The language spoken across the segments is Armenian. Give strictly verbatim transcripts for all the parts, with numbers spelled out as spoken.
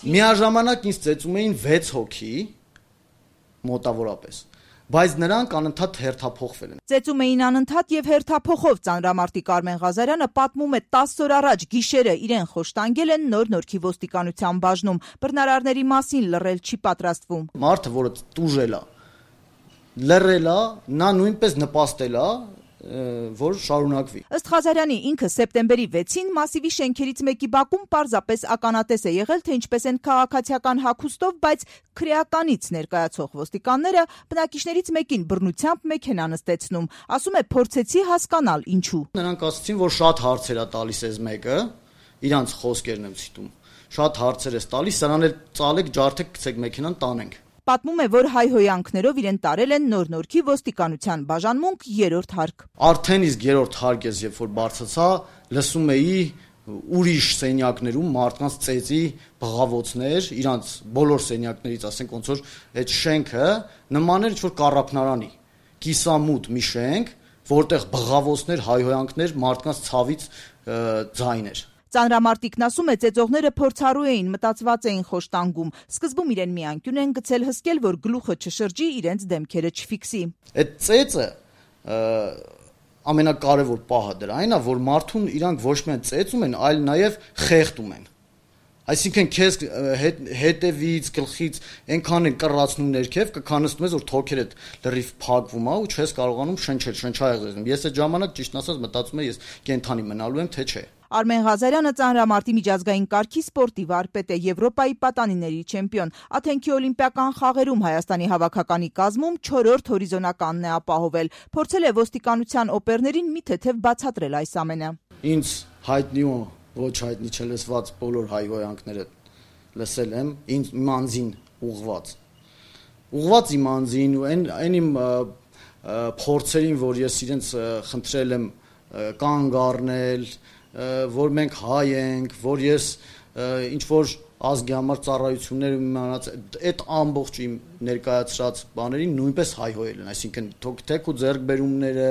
Միաժամանակ ինձ ծեծում էին վեց հոգի մոտավորապես, բայց նրանք անընդհատ հերթափոխվել են։ Ծեծում էին անընդհատ եւ հերթափոխով ծանրամարտիկ Արմեն Ղազարյանը պատմում է տասը օր առաջ գիշերը իրեն խոշտանգել են Նոր Նորքի ոստիկանության բաժնում, բռնարարների մասին լռել չի պատրաստվում։ Մարդը, որը տուժել է, լռել է, նա նույնպես նպաստել է, որ շարունակվի։ Ըստ Ղազարյանի ինքը սեպտեմբերի վեցին Մասիվի շենքերից մեկի բակում պարզապես ականատես է եղել, թե ինչպես են քաղաքացիական հագուստով, բայց քրեականից ներկայացող ոստիկանները բնակիչներից մեկին բռնությամբ մեքենա նստեցնում։ Ասում է փորձեցի հասկանալ ինչու։ Նրանք ասացին, որ շատ հարցեր է տալիս էս մեկը, իրանց խոսքերն եմ ցիտում։ Շատ հարցեր է տալիս, սրանել ծալեք, ջարդեք, գցեք մեքենան, տանենք։ Պատմում է, որ հայհոյանքներով իրեն տարել են Նոր Նորքի ոստիկանության բաժանմունք երրորդ հարկ։ Արդեն իսկ երրորդ հարկես, երբ որ բարձացա, լսում էի ուրիշ սենյակներում մարդկանց ծեծի բղավոցներ, իրանց բոլոր սենյակներից, ասենք ոնց որ այդ շենքը նման էր ինչ-որ կառափնարանի, կիսամութ մի շենք, որտեղ բղավոցներ, հայհոյանքներ, մարդկանց ցավից ձայներ։ Ծանրամարտիկն ասում է, ծեծողները փորձառու էին, մտածված էին խոշտանգում։ Սկզբում իրեն մի անկյուն են գցել հսկել, որ գլուխը չշրջի, իրենց դեմքերը չֆիքսի։ Այդ ծեծը ամենակարևոր պահը դրանն է, որ մարդուն իրանք ոչ միայն ծեծում են, այլ նաև խեղդում են։ Այսինքն քեզ հետևից, գլխից այնքան են կռացնում ներքև, կքանստում ես, որ թոքերդ լրիվ փակվում է ու չես կարողանում շնչել, շնչահեղձում։ Ես այդ ժամանակ ճիշտն ասած մտածում եմ, ես կենթանի մնալու եմ, թե չէ։ Արմեն Ղազարյանը ծանրամարտի միջազգային կարգի սպորտի վարպետ է, Եվրոպայի պատանիների չեմպիոն։ Աթենքի օլիմպիական խաղերում Հայաստանի հավաքականի կազմում չորրորդ հորիզոնականն է ապահովել։ Փորձել է ոստիկանության օպերներին մի թեթև բացատրել այս ամենը։ Ինձ հայտնի ու ոչ հայտնի չլսված բոլոր հայհոյանքները լսել եմ, ինձ իմ անձին ուղղված։ Ուղղված իմ անձին ու այն այն իմ փորձերին, որ ես իրենց խնդրել եմ կանգ առնել, որ մենք հայ ենք, որ ես ինչ որ ազգի համար ծառայություններ իմանած, այդ ամբողջ իմ ներկայացրած բաներին նույնպես հայհոյել են, այսինքն թեք ու ձեռքբերումները,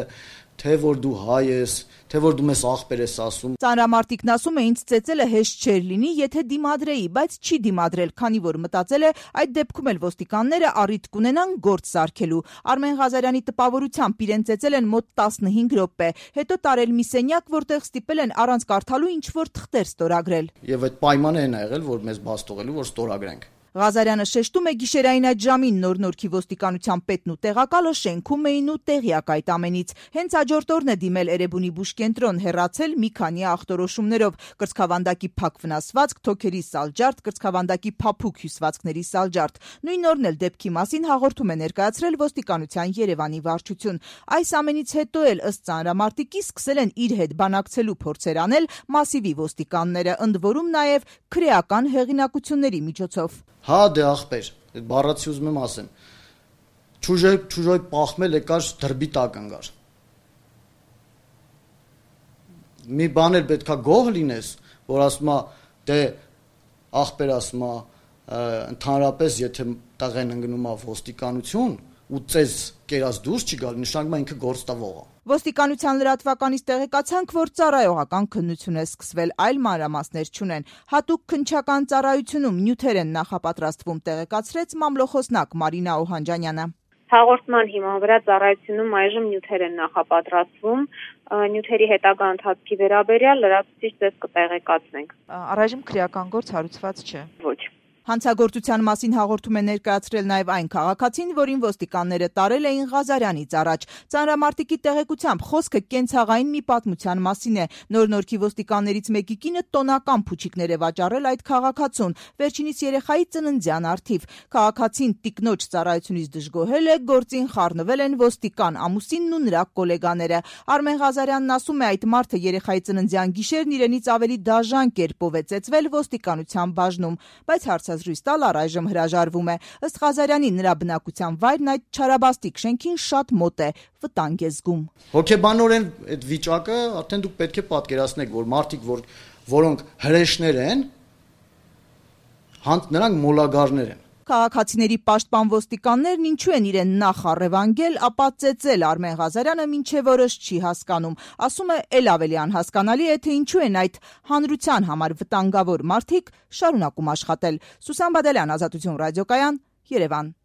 թե որ դու հայ ես, թե որ դու մեզ ախպեր ես ասում։ Ծանրամարտիկն ասում է, ինձ ծեծելը հեշտ չէր լինի, եթե դիմադրեի, բայց չի դիմադրել, քանի որ մտածել է, այդ դեպքում էլ ոստիկանները առիթ կունենան գործ սարքելու։ Արմեն Ղազարյանի տպավորությամբ իրեն ծեծել են մոտ տասնհինգ րոպե, հետո տարել մի սենյակ, որտեղ ստիպել են առանց կարդալու ինչ-որ թղթեր ստորագրել։ Եվ այդ պայմանը այն է եղել, որ մեզ բաց թողելու, որ ստորագրենք։ Ղազարյանը շեշտում է, գիշերային այդ ժամին Նոր Նորքի ոստիկանության պետն ու տեղակալը շենքում էին ու տեղյակ այդ ամենից։ Հենց հաջորդ օրն է դիմել Էրեբունի բուժկենտրոն, հեռացել մի քանի ախտորոշումներով՝ կրծքավանդակի փակ վնասվածք, թոքերի սալջարդ, կրծքավանդակի փափուկ հյուսվածքների սալջարդ։ Նույն օրն էլ դեպքի մասին հաղորդում է ներկայացրել ոստիկանության Երևանի վարչություն։ Այս ամենից հետո էլ ըստ ծանրամարտիկի սկսել են իր հետ բանակցելու փորձեր անել Մասիվի ոստիկանները, ընդ որում նաև քրեական հեղինակությունների միջոցով։ Հա դե ախպեր, այդ բառացի ուզում եմ ասեմ, չուժոյ չուժոյ պախմել եկար դրբի տակ ընկար։ Մի բան էլ պետքա գոհ լինես, որ ասում է, դե ախպեր ասում է, ընդհանրապես եթե տղեն ընկնում է ոստիկանություն ու ծեզ կերած դուրս չի գալ, նշանակում է ինքը գործ տվող է։ Ոստիկանության լրատվականից տեղեկացանք, որ ծառայողական քննություն է սկսվել, այլ մանրամասներ չունեն։ Հատուկ քննչական ծառայությունում նյութեր են նախապատրաստվում, տեղեկացրեց մամլոխոսնակ Մարինա Օհանջանյանը։ Հաղորդման հիման վրա ծառայությունում այժմ նյութեր են նախապատրաստվում, նյութերի հետագա ընթացքի վերաբերյալ լրացուցիչ ձեզ կտեղեկացնենք։ Առայժմ քրեական գործ հարուցված չէ։ Ոչ։ Հանցագործության մասին հաղորդում է ներկայացրել նաև այն քաղաքացին, որին ոստիկանները տարել էին Ղազարյանից առաջ։ Ծանրամարտիկի տեղեկությամբ խոսքը կենցաղային մի պատմության մասին է։ Նոր Նորքի ոստիկաններից մեկի կինը տոնական փուչիկներ է վաճառել այդ քաղաքացուն, վերջինիս երեխայի ծննդյան առթիվ։ Քաղաքացին տիկնոջ ծառայությունից դժգոհել է, գործին խառնվել են ոստիկան, ամուսինն ու նրա գոլեգաները։ Արմեն Ղազարյանն ասում է, այդ մարդը երեխայի ծննդյան գիշերն իրենից ավելի դաժան կերպով է ծեծվել ոստիկանության բաժնում, բայց հարցը զրույց տալ առայժմ հրաժարվում է։ Ըստ Ղազարյանի, նրա բնակության վայրն այդ չարաբաստիկ շենքին շատ մոտ է, վտանգ է զգում։ Հոգեբանորեն այդ վիճակը արդեն դուք պետք է պատկերացնեք, որ մարդիկ, որ որոնք հրեշներ են, նրանք մոլագարներ են։ Քաղաքացիների պաշտպան ոստիկաններն ինչու են իրեն նախ առևանգել, ապա ծեծել Արմեն Ղազարյանը մինչև օրս չի հասկանում։ Ասում է, էլ ավելի անհասկանալի է, թե ինչու են այդ հանրության համար վտանգավոր մարդիկ շարունակում աշխատել։ Սուսան Բադալյան, Ազատություն ռադիոկայան, Երևան։